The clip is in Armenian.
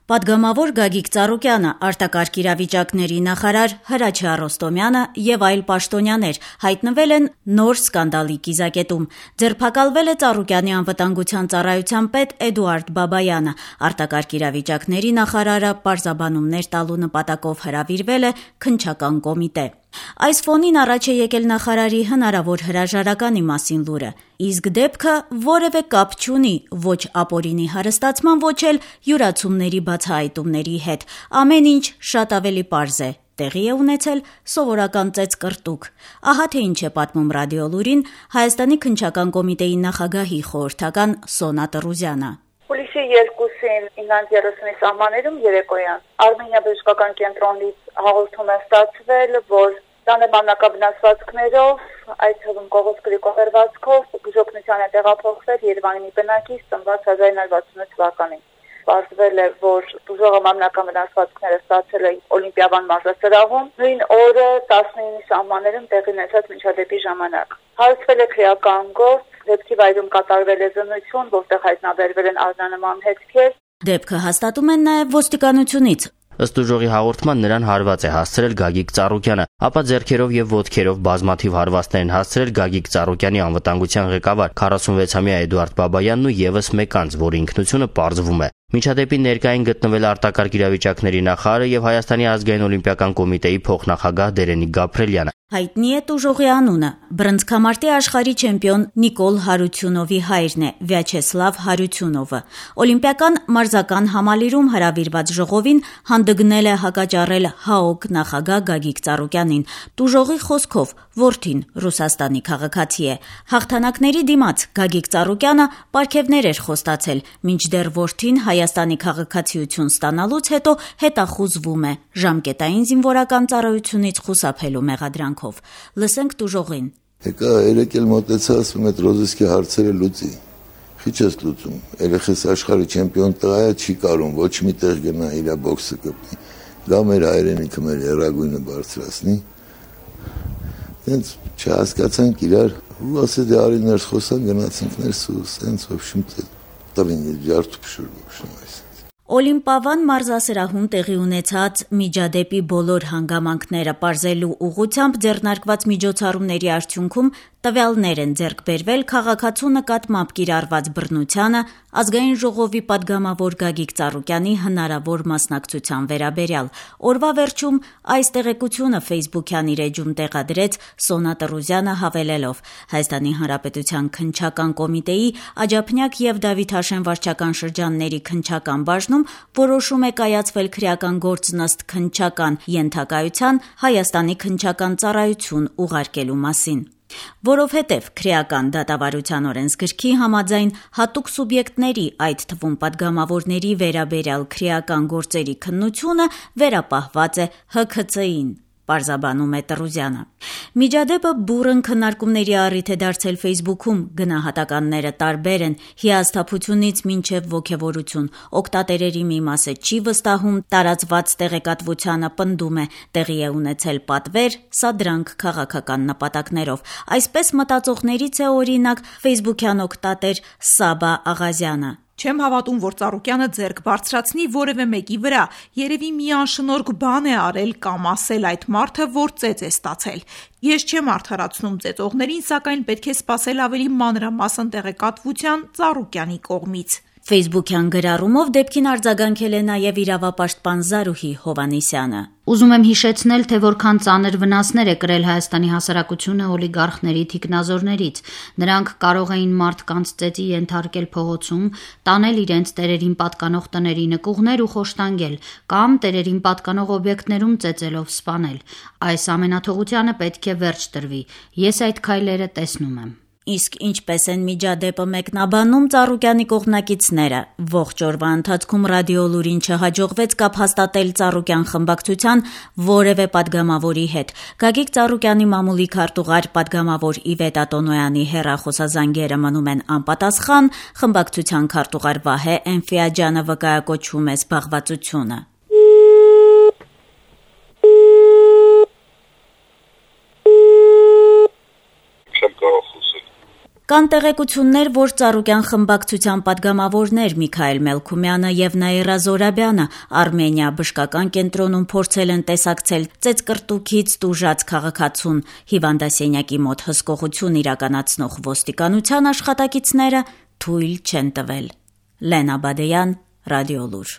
Պատգամավոր Գագիկ Ծառուկյանը, արտակարգ իրավիճակների նախարար Հրաչյա Ռոստոմյանը եւ այլ պաշտոնյաներ հայտնվել են նոր սկանդալի կիզակետում։ Ձերբակալվել է Ծառուկյանի անվտանգության ծառայության պետ Էդուարդ Բաբայանը։ Արտակարգ իրավիճակների նախարարը պարզաբանումներ տալու նպատակով հրավիրվել է քննչական կոմիտե։ Այս ֆոնին առաջ է եկել նախարարի հնարավոր հրաժարականի մասին լուրը, իսկ դեպքը որևէ կապ չունի ոչ ապօրինի հարստացման, ոչ էլ յուրացումների բացահայտումների հետ։ Ամեն ինչ շատ ավելի պարզ է։ Տեղի է ունեցել սովորական ծեծկռտուք։ Ահա թե ինչ է պատմում Ռադիոլուրին Հայաստանի քննչական կոմիտեի նախագահի խորհրդական Սոնա Տրուզյանը։ Հուլիսի 2-ին 9:30-ի սահմաններում երեկոյան Արմենիա բժշկական կենտրոնից հաղորդում է ստացվել, որ Տանեմաննակաբնասվածքներով, այդ թվում Կողոս Գրիգորվացքով բուժօգնության է տեղափոխվել Երևանի բնակիչ ծնված 1968 թվականին։ Պարզվել է, որ բուժողը մանրակաբնասվածքները ստացել է Օլիմպիավան մարզասրահում նույն օրը 19-ի սահմաններում տեղի ունեցած միջադեպի ժամանակ։ Հարուցվել է քրեական գործ, դեպքի վայրում կատարվել է զննություն, որտեղ հայտնաբերվել են արժանանման հետքեր։ Դեպքը հաստատում են նաև ոստիկանությունից։ Ըստ ուժողի հաղորդման նրան հարված է հասցրել Գագիկ Ծառուկյանը, ապա ձեռքերով եւ ոտքերով բազմաթիվ հարվածներ են հասցրել Գագիկ Ծառուկյանի անվտանգության ղեկավար 46-ամյա Էդուարդ Բաբայանն ու եւս մեկ անձ, որի ինքնությունը պարզվում է։ Միջադեպի ներկային գտնվել արտակարգ իրավիճակների նախարարը եւ Հայաստանի ազգային օլիմպիական կոմիտեի փոխնախագահ Դերենիկ Գաբրելյանը։ Հայտնի է տուժողի անունը։ Բռնցքամարտի աշխարհի չեմպիոն Նիկոլ Հարությունովի հայրն է, Վյաչեսլավ Հարությունովը։ Օլիմպիական մարզական համալիրում հրավիրված ժողովին հանդգնել է հակաճառել ՀԱՕԿ նախագահ Գագիկ Ծառուկյանին։ Տուժողի խոսքով որդին Ռուսաստանի քաղաքացի է։ Հաղթանակների դիմաց Գագիկ Ծառուկյանը պարգևներ էր խոստացել, մինչդեռ որդին Հայաստանի քաղաքացիություն ստանալուց հետո հետախուզվում է ժամկետային զինվորական ծառայությունից խուսափելու մեղադրանքով։ Լսենք տուժողին։ Եկա երեք էլ մոտեցա, ասում է ռոզիսկի հարցերը լուծի։ Քիչ ես լուծում։ Երեխես աշխարհի չեմպիոն տղա է, չի կարող ոչ մի տեղ գնա իր բոքսը կպնի։ Դա մեր հայրենիքը մեր երագույնը բարձրացնի։ Դենց չհասկացանք իրար, ու ասեց դե արի ներս խոսան, գնացինք ներս ու սենց ոբշում տվին ջարդու փշուրում այս։ Օլիմպիավան մարզասրահում տեղի ունեցած միջադեպի բոլոր հանգամանքները պարզելու ուղղությամբ ձեռնարկված միջոցառումների արդյունքում տվյալներ են ձեռք բերվել քաղաքացու նկատմամբ կիրառված բռնությանը, ազգային ժողովի պատգամավոր Գագիկ Ծառուկյանի հնարավոր մասնակցության վերաբերյալ։ Օրվա վերջում այս տեղեկությունը Facebook-յան իր էջում տեղադրեց Սոնա Տրուզյանը հավելելով. Հայաստանի Հանրապետության քննչական կոմիտեի Աջափնյակ եւ Դավիթաշեն վարչական շրջանների քննչական բաժնում որոշում է կայացվել քրեական գործ ըստ քննչական ենթակայության Հայաստանի քննչական ծառայություն ուղարկելու մասին։ Որովհետև քրեական դատավարության օրենսգրքի համաձայն հատուկ սուբյեկտների, այդ թվում պատգամավորների վերաբերյալ քրեական գործերի քննությունը վերապահված է ՀՔՑ-ին, պարզաբանում է Տրուզյանը։ Միջադեպը բուռն քննարկումների առիթ է դարձել Facebook-ում, գնահատականները տարբեր են, հիասթափությունից մինչև ոգևորություն։ Օգտատերերի մի մասը չի վստահում, տարածված տեղեկատվությանը պնդում է, տեղի է ունեցել պատվեր, սադրանք քաղաքական նպատակներով։ Այսպես մտածողներից է օրինակ Facebook-յան օգտատեր Սաբա Աղազյանը։ Չեմ հավատում, որ Ծառուկյանը ձեռք բարձրացնի որևէ մեկի վրա, երևի մի անշնորհք բան է արել կամ ասել այդ մարդը, որ ծեծ է ստացել։ Ես չեմ արդարացնում ծեծողներին, սակայն պետք է սպասել ավելի մանրամասն տեղեկատվության Ծառուկյանի կողմից։ Facebook-յան գրառումով դեպքին արձագանքել է նաև իրավապաշտպան Զարուհի Հովանեսյանը։ Ուզում եմ հիշեցնել, թե որքան ծանր վնասներ է կրել Հայաստանի հասարակությունը օլիգարխների թիկնազորներից։ Նրանք կարող էին մարդկանց ծեծի ենթարկել փողոցում, տանել իրենց տերերին պատկանող տների նկուղներ ու խոշտանգել, կամ տերերին պատկանող օբյեկտներում ծեծելով սպանել։ Այս ամենաթողությանը պետք է վերջ տրվի։ Ես այդ քայլերը տեսնում եմ։ Իսկ ինչպես են միջադեպը մեկնաբանում Ծառուկյանի կողմնակիցները։ Ողջ օրվա ընթացքում Ռադիոլուրին չհաջողվեց կապ հաստատել Ծառուկյան խմբակցության որևէ պատգամավորի հետ։ Գագիկ Ծառուկյանի մամուլի քարտուղար պատգամավոր Իվետ Ատոնոյանի հեռախոսազանգերը մնում են անպատասխան, խմբակցության քարտուղար Վահե Էնֆիաջյանը վկայակոչում է զբաղվածությունը։ Կան տեղեկություններ, որ Ծառուկյան խմբակցության պատգամավորներ Միքայել Մելքումյանը եւ Նաիրա Զորաբյանը Արմենիա բժշկական կենտրոնում փորձել են տեսակցել ծեծկռտուքից տուժած քաղաքացուն հիվանդասենյակի մոտ հսկողություն իրականացնող ոստիկանության աշխատակիցները թույլ չեն տվել։ Լենա Բադեյան, Ռադիոլուր։